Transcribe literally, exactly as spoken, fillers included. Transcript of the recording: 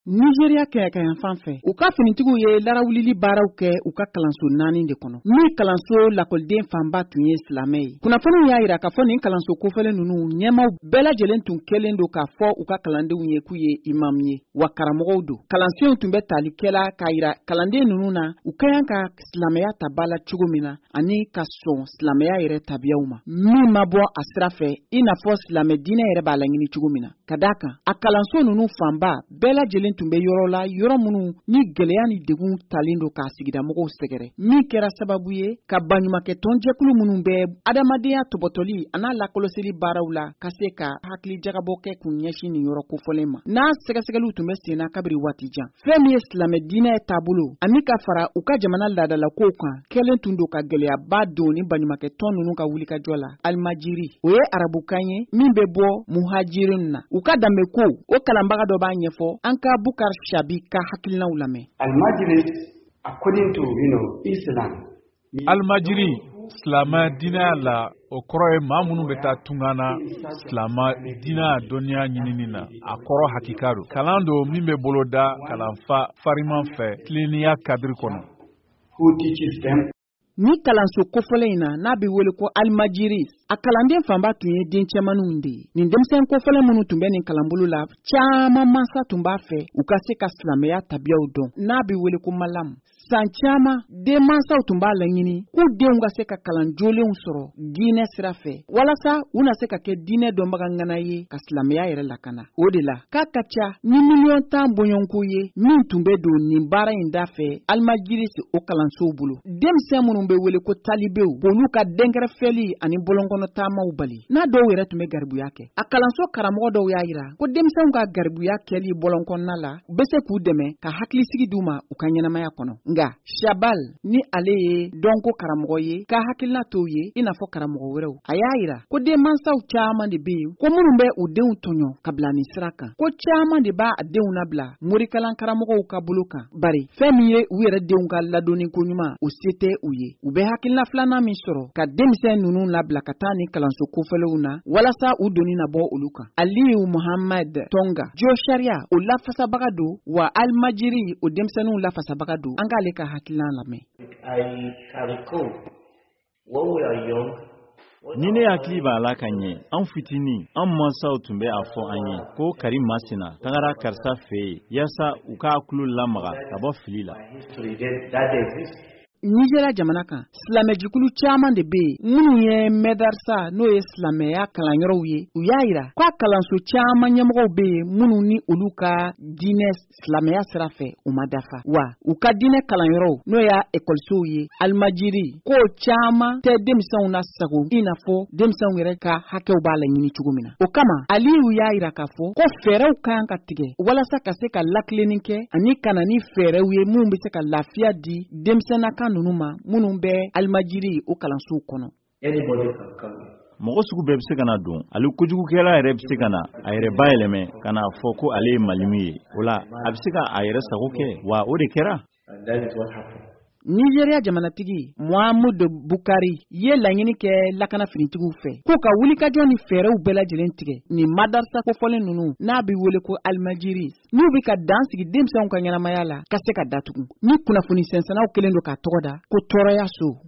Nizeriya kɛɲɛkayanfan fɛ, u ka finitigiw ye larawulili baaraw kɛ u ka kalanso naani de kɔnɔ, min kalanso lakɔliden fanba tun ye silamɛ ye. Kunnafoniw y'a yira k'a fɔ nin kalanso kofɔlen ninnu ɲɛmaw bɛɛ lajɛlen tun kɛlen don k'a fɔ u ka kalandenw ye k'u ye imamu ye, wa karamɔgɔw don. Kalansenw tun bɛ tali kɛla k'a yira kalanden ninnu na u ka kan ka silamɛya ta ba la cogo min na, ani ka sɔn silamɛya yɛrɛ tabiyaw ma, min ma bɔ a sira fɛ, i n'a fɔ silamɛ diinɛ yɛrɛ b'a laɲini cogo min na. Ka d'a kan, a kalanso ninnu fanba bɛɛ lajɛlen tun bɛ yɔrɔ la, yɔrɔ minnu ni gɛlɛya ni degun talen don k'a sigidamɔgɔw sɛgɛrɛ, min kɛra sababu ye ka baɲumankɛ tɔnjɛkulu minnu bɛ adamadenya tɔbɔtɔli an'a lakɔlɔsili baaraw la ka se ka hakili jagabɔ kɛ k'u ɲɛsin nin yɔrɔ kofɔlen ma, n'a sɛgɛsɛgɛliw tun bɛ senna kabiri waati jan. Fɛn min ye silamɛ diinɛ taabolo ani ka fara u ka jamana laadalakow kan, kɛlen tun don ka gɛlɛyaba don ni baɲumankɛ tɔn ninnu ka wulikajɔ la. Alimajiri, o ye arabukan ye min bɛ bɔ muhajirin na, u ka danbe ko o kalanbaga dɔ b'a ɲɛfɔ. An ka Bukar Shabi ka hakilinaw lamɛn. Almajiris, according to you know, Islam. Alimajiri, silamɛ diinɛ la, o kɔrɔ ye maa minnu bɛ taa tunga na silamɛ diinɛ dɔnniya ɲinini na. A kɔrɔ hakika don, kalan don min bɛ boloda kalanfa fariman fɛ tilennenya kadiri kɔnɔ. Who teaches them. Ni kalanso kofɔlen in na, n'a bɛ wele ko alimajiri, a kalanden fanba tun ye den cɛmaninw de ye. Nin denmisɛn kofɔlen minnu tun bɛ nin kalanbolo la, caman mansa tun b'a fɛ u ka se ka silamɛya tabiyaw dɔn, n'a bɛ wele ko malamu. San caman, denmansaw tun b'a laɲini k'u denw ka se ka kalan jolenw sɔrɔ diinɛ sira fɛ, walasa u na se ka kɛ diinɛ dɔnbaga ŋana ye ka silamɛya yɛrɛ lakana. O de la k'a ka ca ni miliyɔn tan bɔɲɔgɔnko ye min tun bɛ don nin baara in da fɛ alimajirisi o kalansow bolo, denmisɛn minnu bɛ wele ko talibew, k'olu ka dɛnkɛrɛfɛli ani bɔlɔnkɔnɔ taamaw bali, n'a dɔw yɛrɛ tun bɛ garibuya kɛ. A kalanso karamɔgɔ dɔw y'a yira ko denmisɛnw ka garibuya kɛli bɔlɔnkɔnɔna la bɛ se k'u dɛmɛ ka hakilisigi d'u ma u ka ɲɛnamaya kɔnɔ. Nka Shabal, ni ale ye dɔnko karamɔgɔ ye, ka hakilina t'o ye i n'a fɔ karamɔgɔ wɛrɛw. A y'a yira ko denmansaw caman de bɛ yen ko minnu bɛ u denw tɔɲɔ ka bila nin sira kan, ko caman de b'a denw nabila morikalan karamɔgɔw ka bolo kan, bari fɛn min ye u yɛrɛ denw ka ladonni ko ɲuman, o se tɛ u ye. U bɛ hakilina filanan min sɔrɔ ka denmisɛn ninnu labila ka taa nin kalanso kofɔlenw na walasa u doni na bɔ olu kan. Aliyu Muhammad Tonga, jo sariya o lafasabaga don, wa alimajiri o denmisɛnninw lafasabaga don. An k'ale ka hakilina lamɛn. I can recall when we are young. Ni ne hakili b'a la ka ɲɛ, an fitinin, an mansaw tun bɛ a fɔ an ye ko kari masina tagara karisa fɛ yen yaasa u k'a tulo lamaga ka bɔ fili la. History that, that exists. Nizeriya jamana kan, silamɛjɛkulu caman de bɛ yen minnu ye mɛdarisa, n'o ye silamɛya kalanyɔrɔw ye. U y'a yira k'a kalanso caman ɲɛmɔgɔw bɛ yen minnu ni olu ka diinɛ silamɛya sira fɛ u ma dafa, wa u ka diinɛ kalanyɔrɔw, n'o y'a ekɔlisow ye, alimajiri ko caman tɛ denmisɛnw na sago i n'a fɔ denmisɛnw yɛrɛ ka hakɛw b'a laɲini cogo min na. O kama, Aliyu y'a yira k'a fɔ ko fɛɛrɛw ka kan ka tigɛ walasa ka se ka lakilenni kɛ ani ka na ni fɛɛrɛw ye minnu bɛ se ka lafiya di denmisɛnninnakan ninnu ma minnu bɛ alimajiri o kalansow kɔnɔ. Anybody can come in. Mɔgɔ sugu bɛɛ bɛ se ka na don. Ale kojugukɛla yɛrɛ bɛ se ka na a yɛrɛ bayɛlɛmɛ ka n'a fɔ ko ale ye malimu ye. O la, a bɛ se ka a yɛrɛ sago kɛ, wa o de kɛra. And that is what happened. Nizeriya jamanatigi Muhammadu Bukari ye laɲini kɛ lakana finitigiw fɛ k'u ka wulikajɔ ni fɛɛrɛw bɛɛ lajɛlen tigɛ nin madarasa kofɔlen ninnu, n'a bɛ wele ko alimajiri, n'u bɛ ka dan sigi denmisɛnw ka ɲɛnamaya la, ka se ka datugu, ni kunnafoni sɛnsɛnnaw kɛlen don k'a tɔgɔ da ko tɔɔrɔya so.